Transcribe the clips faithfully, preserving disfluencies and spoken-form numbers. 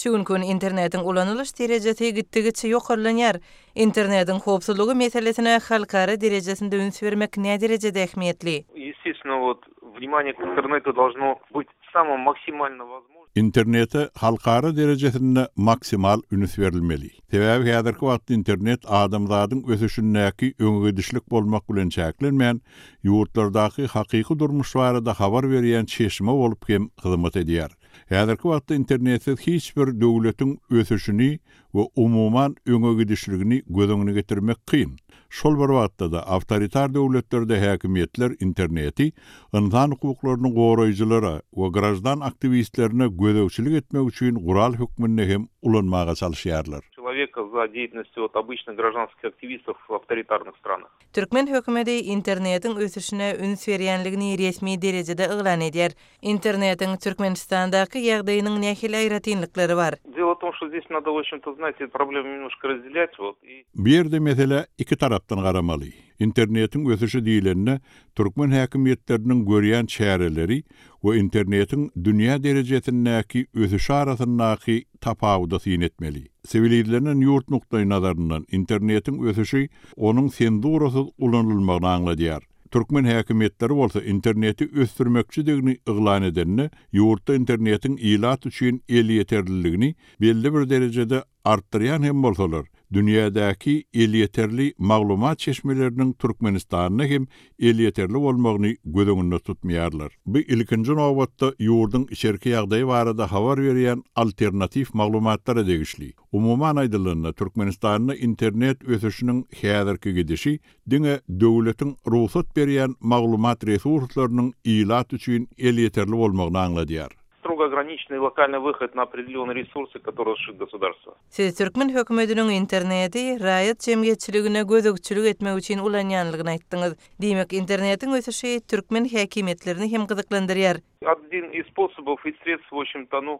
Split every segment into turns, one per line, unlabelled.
Şu gün internetin ulanylış derejesi gitdigiçe ýokarlanýar. Internetin howpsuzlygy meselesine halkara derejesinde üns bermek ne derejede ähmiýetli?
Естественно, вот внимание к интернету должно быть самым максимально возможным.
İnternete halkara derejesinde maksimal üns berilmeli. Sebäbi häzirki wagtda internet adamzadyň ösüşündäki öňügidişlik bolmak bilen çäklenmän, ýurtlardaky hakyky durmuş barada habar berýän çeşme bolup hem hyzmat edýär. Häzirki wagtda internetsiz hiç bir döwletiň ösüşini we umuman öňügidişligini göz getirmek kyn. Şol bir wagtda da awtoritar döwletlerde häkimetler interneti insan hukuklarynyň goraýjylary we grajdan aktivistlerine gödöwçilik etmek üçin gural hükmünde hem ulanmaga çalışýarlar.
Человека за деятельностью от обычных гражданских активистов в авторитарных странах.
Türkmen hökümeti internetin ösüşine üns berýänligini resmi derejede yglan edýär. Internetin Türkmenistandaky ýagdaýynyň nähili aýratynlyklary bar.
Дело в том, что здесь надо, в общем-то, знаете, проблему немножко разделять. Вот, и...
Bir ýerde mesele iki tarapdan garamaly. Internetin ösüşi diýilende Türkmen häkimetleriniň görýän çäreleri we internetin dünýä derejesindäki ösüşi arasyndaky tapawudy syn etmeli. Sivilizleriň ýurt nukdaý nazaryndan internetin ösüşi onuň senzurasyz ulanylmagyny aňladýar. Türkmen häkimetleri bolsa interneti ösdürmekçidigini yglan edenne, ýurtda internetin ilat üçin el ýeterliligini belli bir derejede artdyrýan hem bolsalar, dünýädäki el ýeterli maglumat çeşmeleriniň Türkmenistanyna hem el ýeterli bolmagyny göz öňünde tutmaýarlar. Bu ilkinji nowbatda ýurduň içerki ýagdaýy barada habar berýän alternativ maglumatlara degişli. Umuman aýdylanyna Türkmenistanyna internet ösüşiniň häzirki gidişi diňe döwletiň ruhsat berýän maglumat resurslarynyň ilat üçin el ýeterli bolmagyny aňladýar.
Строго ограниченный локальный выход на определенные ресурсы, которые разрешит государство.
Siz Türkmen hökümetiniň interneti raýat jemgyýetçiligine gözükçülük etmek üçin ulanýanlygyny aýtdyňyz. Diýmek, internetin ösüşi Türkmen häkimetlerini hem gyzyklandyrýar.
Один из способов и средств, в общем-то, ну,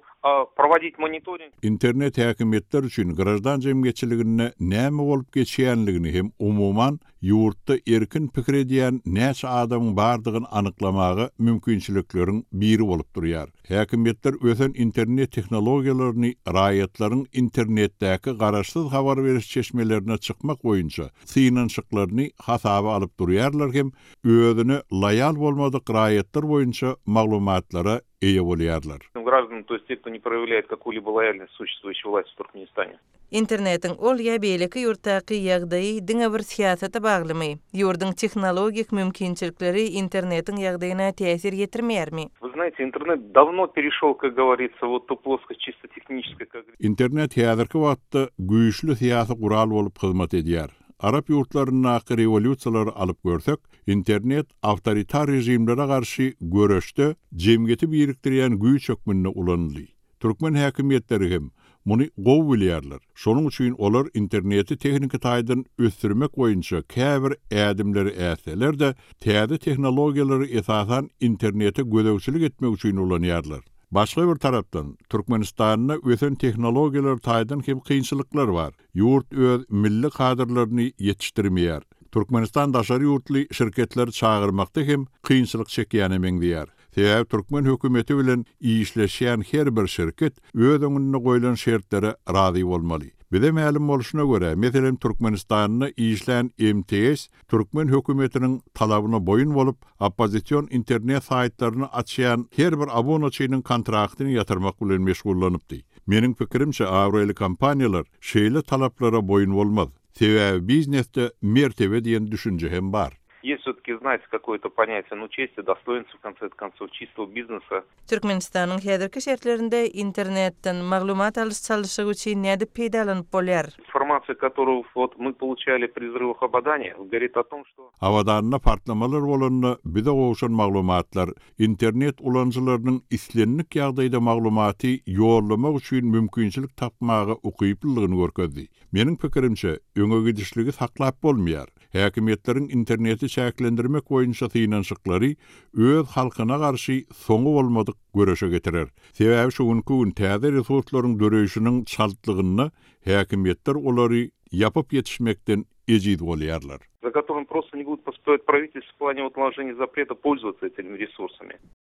проводить мониторинг.
Internet häkimetler üçin grajdan jemgyýetçiligine näme bolup geçýänligini hem umuman ýurtda erkin pikir edýän näçe adamyň bardygyny anyklamagy mümkinçilikleriň biri bolup durýar. Häkimetler ösen internet tehnologiýalaryny raýatlaryň internetdäki garaşsyz habar beriş çeşmelerine çykmak boýunça synançyklaryny hasaba alyp durýarlar hem özüne loýal bolmadyk raýatlar boýunça maglumatlara eýe bolýarlar.
Граждан, то есть те, кто не проявляет какую-либо лояльность существующей власти в Туркменистане.
Internetin ol ýa beýleki ýurtdaky ýagdaýy diňe bir siýasata baglymy? Ýurduň tehnologik mümkinçilikleri internetin ýagdaýyna täsir ýetirmeýärmi?
Вы знаете, интернет давно перешел, как говорится, вот ту плоскость чисто технической, как...
Internet häzirki wagtda güýçli siýasy gural bolup hyzmat edýär. Arap ýurtlarynyň revolýusiýalary alyp görsek, internet awtoritar rejimlere garşy göreşde jemgyýeti birikdirýän güýç hökmünde ulanýar. Türkmen häkimetleri hem muny gowy bilýärler. Şonuň üçin olar interneti tehnik taýdan ösdürmek boýunça käbir ädimleri äseler-de täze tehnologiýalary esasan internete gödöwçilik etmek üçin ulanýarlar. Başga bir tarapdan Türkmenistanyna ösen tehnologiýalar taýdan hem kynçylyklar bar. Ýurt öz milli kadrlaryny ýetişdirmeýär. Türkmenistan daşary ýurtly şirketler çağırmakda hem kynçylyk çekýän emengdiýär. Sebäbi Türkmen hökümeti bilen işleşýän her bir şirket öz öňüne goýulan şertlere razy bolmaly. Bize ma'lum boluşuna göre, meselen Türkmenistanyna işlän M T S, Türkmen hökümetiniň talabyna boyun bolup, oppozisiýon internet saýtlaryny açýan her bir abonaçynyň kontraktyny ýatyrmak bilen meşgullanypdy. Meniň pikirimçe, Awreli kompaniýalar şeýle talaplara boyun bolmaz. Sebäbi biznesde mertebe diýen düşünje hem bar.
Есть все-таки, знаете, какое-то понятие, ну, чести, достоинства, в конце концов, чистого бизнеса.
Türkmenistan'ın häzirki şertlerinde internetten maglumat alyş çalışygy üçin näde peýdalanyp bolýar?
Информация, которую вот мы получали при взрывах Абадани, говорит о том, что...
Abadanna partlamalar bolanda bize gowşan maglumatlar internet ulanjylarynyň islenlik ýagdaýda maglumaty ýorlamak üçin mümkinçilik tapmagy ukyplylygyny görkezdi. Meniň pikirimçe, öňe gidişligi saklap bolmaýar. Häkimetleriň interneti çäklendirmek boýunça synançyklary öz halkyna garşy soňu bolmadyk göreşe getirer. Sebäbi şuňky gün täze resurslaryň döreýişiniň çaltlygyny häkimetler olary yapıp yetişmekden ejid bolýarlar.
За которым просто не будет постоять правительство в плане вот наложения запрета пользоваться этими ресурсами.